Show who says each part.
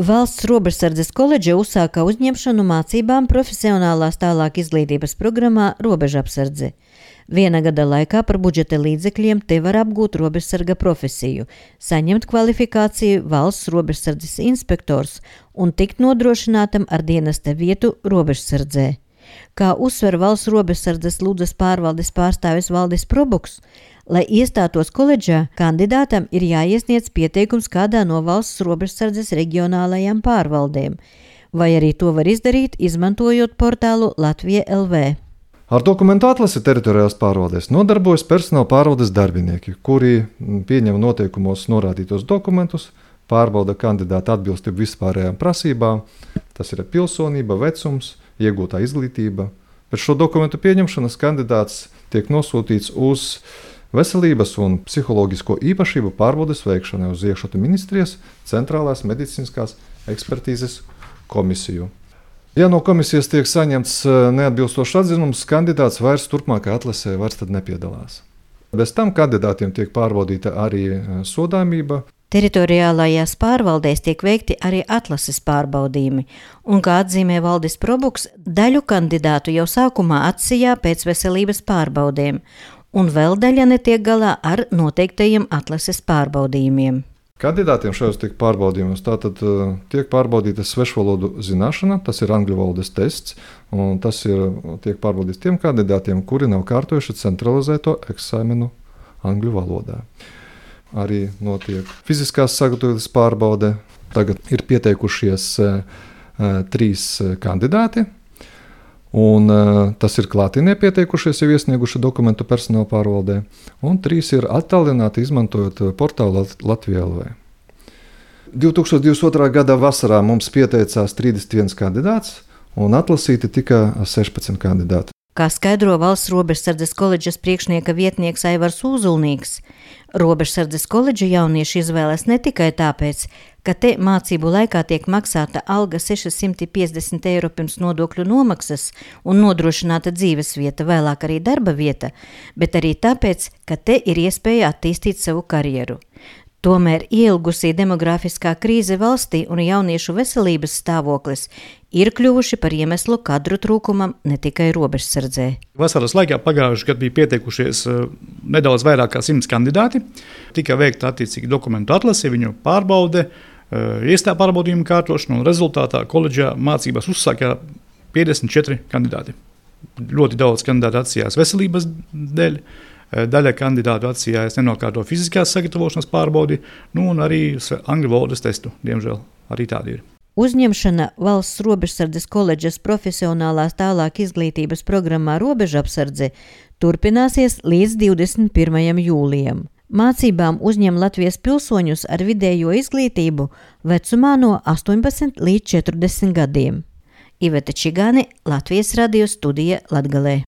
Speaker 1: Valsts robežsardzes koledža uzsāka uzņemšanu mācībām profesionālās tālāk izglītības programmā Robežapsardze. Viena gada laikā par budžeta līdzekļiem te var apgūt robežsarga profesiju, saņemt kvalifikāciju valsts robežsardzes inspektors un tikt nodrošinātam ar dienesta vietu robežsardzē. Kā uzsver valsts robežsardzes Ludzas pārvaldes pārstāvis Valdis Probuks, lai iestātos koledžā, kandidātam ir jāiesniedz pieteikums kādā no valsts robežsardzes reģionālajām pārvaldēm, vai arī to var izdarīt, izmantojot portālu Latvija LV.
Speaker 2: Ar dokumentu atlasi teritoriālās pārvaldēs nodarbojas personāla pārvaldes darbinieki, kuri pieņem noteikumos norādītos dokumentus, pārbauda kandidāta atbilstību vispārējām prasībām, tas ir pilsonība, vecums, iegūtā izglītība. Pēc šo dokumentu pieņemšanas kandidāts tiek nosūtīts uz veselības un psiholoģisko īpašību pārbaudes veikšanai uz iekšlietu ministrijas centrālās medicīniskās ekspertīzes komisiju. Ja no komisijas tiek saņemts neatbilstošs atzinums, kandidāts vairs turpmākajā atlasē nepiedalās. Bez tam kandidātiem tiek pārbaudīta arī sodāmība.
Speaker 1: Teritoriālajās pārvaldēs tiek veikti arī atlases pārbaudījumi, un, kā atzīmē Valdis Probuks, daļu kandidātu jau sākumā atsijā pēc veselības pārbaudēm, un vēl daļa netiek galā ar noteiktajiem atlases pārbaudījumiem.
Speaker 2: Kandidātiem šajos tiek pārbaudījumos tātad tiek pārbaudīta svešvalodu zināšana, tas ir angļu valodas tests, un tas tiek pārbaudīts tiem kandidātiem, kuri nav kārtojuši centralizēto eksāmenu angļu valodā. Arī notiek fiziskās sagatavības pārbaude. Tagad ir pieteikušies 3 kandidāti, un tas ir klātienē pieteikušies, jau iesnieguši dokumentu personāla pārvaldē, un 3 ir attālināti izmantojot portālu Latvija LV. 2022. gada vasarā mums pieteicās 31 kandidāts, un atlasīti tika 16 kandidāti.
Speaker 1: Kā skaidro valsts robežsardzes koledžas priekšnieka vietnieks Aivars Uzulnīgs, robežsardzes koledža jaunieši izvēlas ne tikai tāpēc, ka te mācību laikā tiek maksāta alga 650 eiro pirms nodokļu nomaksas un nodrošināta dzīvesvieta, vēlāk arī darba vieta, bet arī tāpēc, ka te ir iespēja attīstīt savu karjeru. Tomēr ielgusī demografiskā krīze valstī un jauniešu veselības stāvoklis ir kļuvuši par iemeslu kadru trūkumam ne tikai robežsardzē.
Speaker 3: Vasaras laikā pagājušajā gadā bija pieteikušies nedaudz vairāk kā 100 kandidāti. Tika veikta attiecīgi dokumentu atlase, viņu pārbaude, iestāju pārbaudījumu kārtošana, un rezultātā koledžā mācībās uzsāka 54 kandidāti. Ļoti daudz kandidātu atsījās veselības dēļ. Daļa kandidātu atsījās nenokārto fiziskās sagatavošanas pārbaudi, un arī angļu valodas testu, diemžēl, arī tādi ir.
Speaker 1: Uzņemšana valsts robežsardzes koledžas profesionālās tālāk izglītības programmā Robežapsardze turpināsies līdz 21. jūlijam. Mācībām uzņem Latvijas pilsoņus ar vidējo izglītību vecumā no 18 līdz 40 gadiem. Iveta Čigāne, Latvijas radio studija Latgalē.